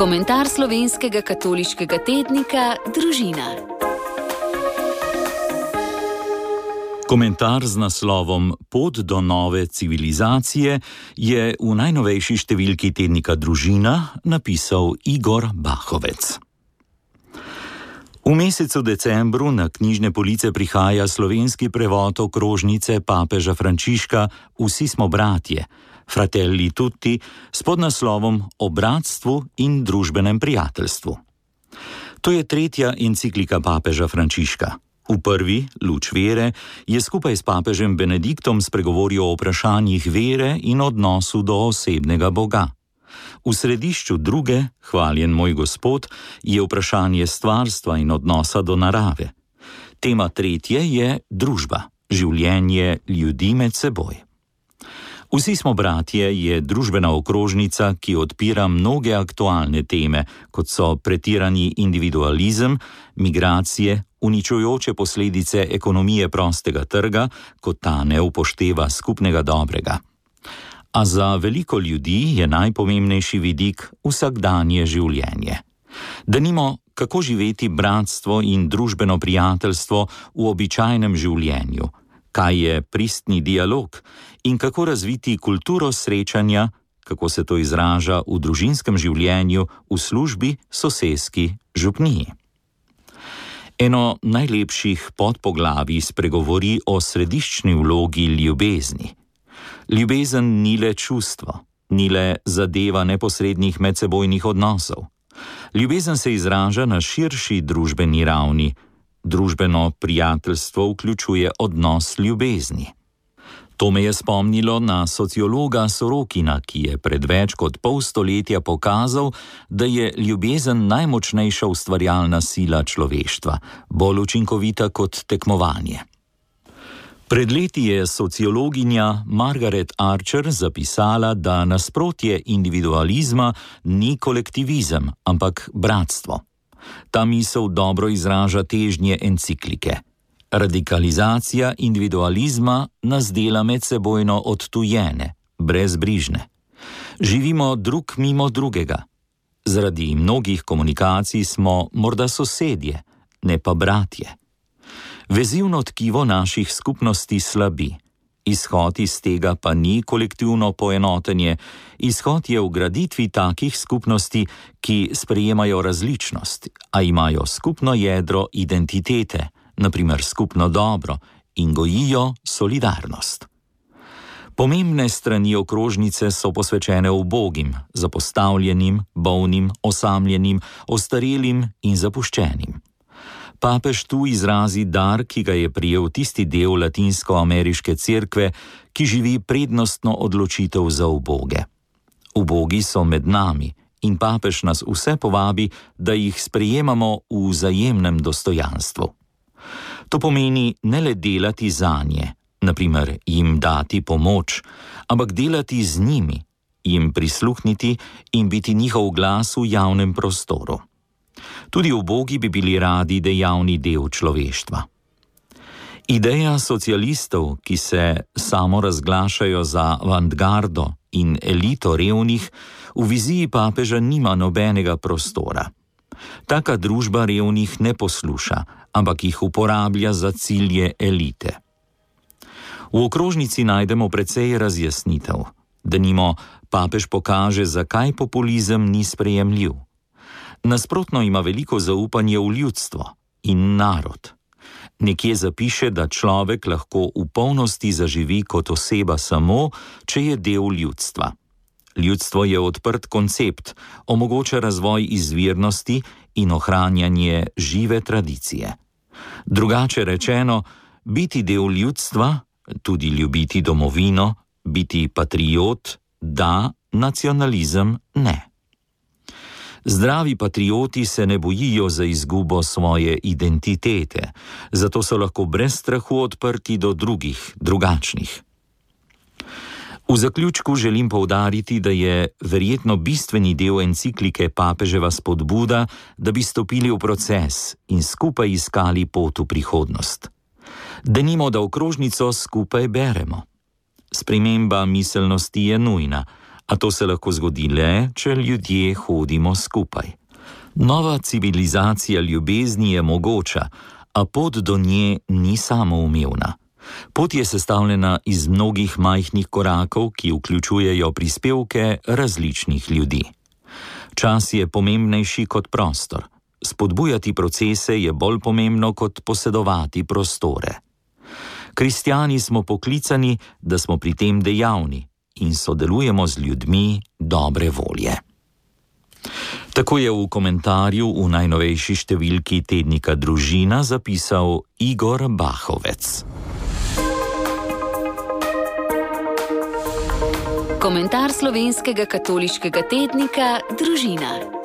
Komentar slovenskega katoliškega tednika Družina. Komentar z naslovom Pot do nove civilizacije je v najnovejši številki tednika Družina napisal Igor Bahovec. V mesecu decembru na knjižne police prihaja slovenski prevod okrožnice papeža Frančiška Vsi smo bratje, Fratelli tutti, s podnaslovom O bratstvu in družbenem prijateljstvu. To je tretja enciklika papeža Frančiška. V prvi, Luč vere, je skupaj s papežem Benediktom spregovoril o vprašanjih vere in odnosu do osebnega Boga. V središču druge, Hvaljen moj Gospod, je vprašanje stvarstva in odnosa do narave. Tema tretje je družba, življenje ljudi med seboj. Vsi smo bratje je družbena okrožnica, ki odpira mnoge aktualne teme, kot so pretirani individualizem, migracije, uničujoče posledice ekonomije prostega trga, ko ta ne upošteva skupnega dobrega. A za veliko ljudi je najpomembnejši vidik vsakdanje življenje. Denimo, kako živeti bratstvo in družbeno prijateljstvo v običajnem življenju, kaj je pristni dialog in kako razviti kulturo srečanja, kako se to izraža v družinskem življenju, v službi, soseski, župniji. Eno najlepših podpoglavij spregovori o središčni vlogi ljubezni. Ljubezen ni le čustvo, ni le zadeva neposrednih medsebojnih odnosov. Ljubezen se izraža na širši družbeni ravni. Družbeno prijateljstvo vključuje odnos ljubezni. To me je spomnilo na sociologa Sorokina, ki je pred več kot pol stoletja pokazal, da je ljubezen najmočnejša ustvarjalna sila človeštva, bolj učinkovita kot tekmovanje. Pred leti je sociologinja Margaret Archer zapisala, da nasprotje individualizma ni kolektivizem, ampak bratstvo. Ta misel dobro izraža težnje enciklike. Radikalizacija individualizma nas dela medsebojno odtujene, brezbrižne. Živimo drug mimo drugega. Zaradi mnogih komunikacij smo morda sosedje, ne pa bratje. Vezivno tkivo naših skupnosti slabi. Izhod iz tega pa ni kolektivno poenotenje, izhod je v graditvi takih skupnosti, ki sprejemajo različnost, a imajo skupno jedro identitete, naprimer skupno dobro, in gojijo solidarnost. Pomembne strani okrožnice so posvečene ubogim, zapostavljenim, bolnim, osamljenim, ostarelim in zapuščenim. Papež tu izrazi dar, ki ga je prejel tisti del latinsko-ameriške cerkve, ki živi prednostno odločitev za uboge. Ubogi so med nami in papež nas vse povabi, da jih sprejemamo v vzajemnem dostojanstvu. To pomeni ne le delati zanje, naprimer jim dati pomoč, ampak delati z njimi, jim prisluhniti in biti njihov glas v javnem prostoru. Tudi ubogi bi bili radi dejavni del človeštva. Ideja socialistov, ki se samo razglašajo za avantgardo in elito revnih, v viziji papeža nima nobenega prostora. Taka družba revnih ne posluša, ampak jih uporablja za cilje elite. V okrožnici najdemo precej razjasnitev. Denimo, papež pokaže, zakaj populizem ni sprejemljiv. Nasprotno ima veliko zaupanje v ljudstvo in narod. Nekje zapiše, da človek lahko v polnosti zaživi kot oseba samo, če je del ljudstva. Ljudstvo je odprt koncept, omogoča razvoj izvirnosti in ohranjanje žive tradicije. Drugače rečeno, biti del ljudstva, tudi ljubiti domovino, biti patriot, da, nacionalizem ne. Zdravi patrioti se ne bojijo za izgubo svoje identitete, zato so lahko brez strahu odprti do drugih, drugačnih. V zaključku želim poudariti, da je verjetno bistveni del enciklike papeževa spodbuda, da bi stopili v proces in skupaj iskali pot v prihodnost. Denimo, da okrožnico skupaj beremo. Sprememba miselnosti je nujna, A to se lahko zgodi le, če ljudje hodimo skupaj. Nova civilizacija ljubezni je mogoča, a pot do nje ni samoumevna. Pot je sestavljena iz mnogih majhnih korakov, ki vključujejo prispevke različnih ljudi. Čas je pomembnejši kot prostor. Spodbujati procese je bolj pomembno kot posedovati prostore. Kristjani smo poklicani, da smo pri tem dejavni in sodelujemo z ljudmi dobre volje. Tako je v komentarju v najnovejši številki tednika Družina zapisal Igor Bahovec. Komentar slovenskega katoliškega tednika Družina.